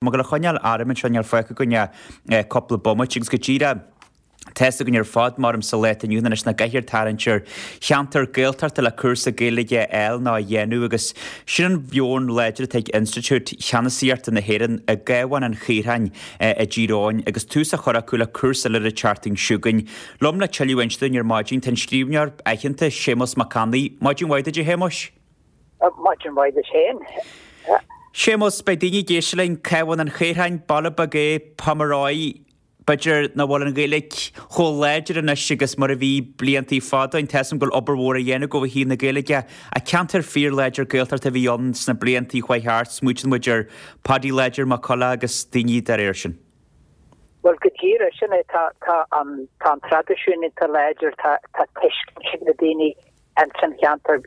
Ag gabháil a choinneáil orm anseo níl fágtha againn ach cúpla bomaite agus go díreach tá's againn ar fad maram sa lá atá inniu ann anois nach gcaithfear tarraingt ar cheantar Gaeltachta le cúrsa Gaeilge a fháil nó a dhéanamh agus sin an mheon láidir atá ag Institiúid Cheannasaíochta na hÉireann i gCabhán an Chaoráin i dTír Eoghain agus tús á chur acu le cúrsa eile an tseachtain seo chugainn. Liom le tuilleadh a inse dúinn ar maidin tá an scríbhneoir aitheanta Séamus Mac Annaidh. Maidin mhaith duit a Shéamuis. Maidin mhaith duit féin. Séamus, beidh daoine ag éisteacht linn, Cabhán an Chaoráin, baile beag é, Pomeroy, b'fhéidir nach bhfuil an Ghaeilge chomh láidir anois agus mar a bhí bliantaí fada ó shin. Tá 'fhios a'm go bhfuil obair mhór á dhéanamh agaibh ó thaobh na Gaeilge. Ach ceantar fíorláidir Gaeltachta a bhí ann sna bliantaí a chuaigh thart, smaoitíonn muid ar Paddy Láidir Mac Colla agus daoine dá réir sin. Bhuel, go díreach, sin é, tá, tá an, tá an traidisiún iontach láidir, tá, tá tuiscint ag na daoine ins an cheantar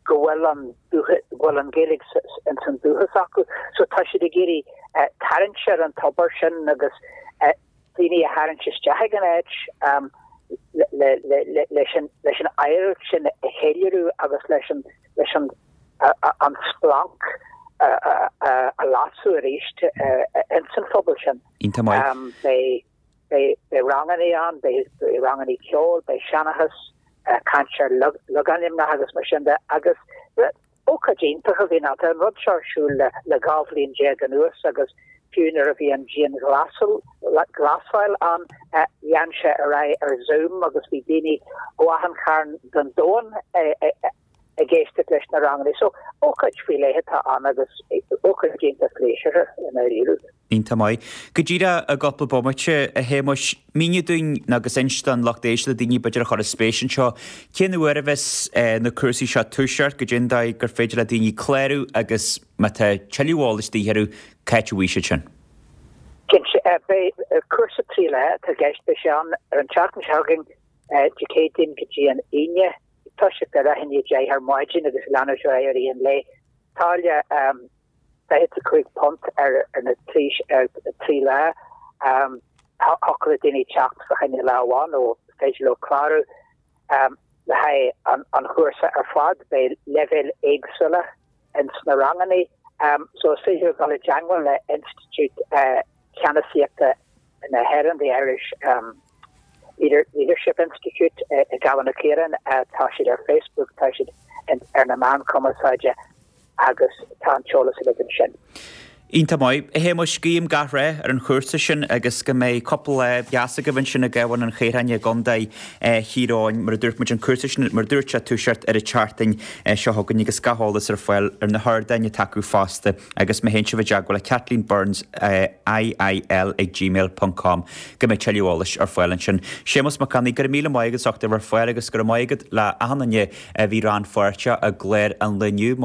go bhfuil an dúcha, go bhfuil an Ghaeilge ins an dúchas acu. So tá siad ag iarraidh tarraingt ar an tobar sin agus daoine a tharraingt isteach ag an áit le, le, le, leis an, leis an oidhreacht sin a cheiliúradh agus leis an, leis an, an splanc a lasadh arís ins an phobal sin. Iontach maith. Beidh beidh rangannaí ann, beidh rangannaí ceoil, beidh seanchas, caint ar logainmneacha agus mar sin de agus ócáid iontach a bhíonn ann. Tá an rud seo ar siúl le 12 bhliain anuas agus fiú nuair a bhí an dianghlasáil ann, lean sé ar aghaidh ar Zoom agus bhí daoine ó achan chearn den domhan ag éisteacht leis na ranganna. So, ócáid faoi leith atá ann agus ócáid iontach pléisiúrtha i ndáiríre. Iontach maith. Go díreach i gcúpla bomaite, a Shéamuis, mínigh dúinn agus inis don lucht éisteachta, daoine b'fhéidir a chuirfeadh spéis anseo, cén uair a bheas na cúrsaí seo ag toiseacht, goidé an dóigh gur féidir le daoine clárú agus má tá tuilleadh eolais de dhíth orthu, c'áit a bhfaighidh siad sin? Cinnte, beidh cúrsa 3 lá atá i gceist, beidh sé ann ar an tseachtain seo chugainn, Dé Céadaoin go dtí an Aoine. Toiseacht ar leath i ndiaidh 10 ar maidin agus leanúint ar aghaidh i rith an lae. Táille £25 ar na 3 lá. Thiocfadh le daoine teacht fá choinne lá amháin nó is féidir leo clárú le haghaidh an chúrsa ar fad. Beidh leibhéil éagsúla ins na ranganna so is féidir leo dul i dteangmháil le Institiúid Ceannasaíochta na hÉireann, The Irish Leadership Institute i gCabhán an Chaoráin. Tá siad ar Facebook, tá siad ar na meáin chumarsáide agus tá an t-eolas uilig ansin. Iontach maith. A Shéamuis, guím gach rath ar an chúrsa sin agus go mbeidh cúpla lá deas agaibh ansin i gCabhán an Chaoráin i gContae Thír Eoghain. Mar a dúirt muid, an cúrsa sin, mar a dúirt sé, ag toiseacht ar an tseachtain seo chugainn agus gach eolas ar fáil ar na hardáin atá acu fosta. Agus má théann sibh i dteagmháil le Kathleen Burns, IIL ag gmail ponc com, go mbeidh tuilleadh eolais ar fáil ansin. Séamus Mac Annaidh, go raibh míle maith agat as ucht a bheith ar fáil agus go raibh maith agat le achan duine a bhí rannpháirteach i gclár an lae inniu.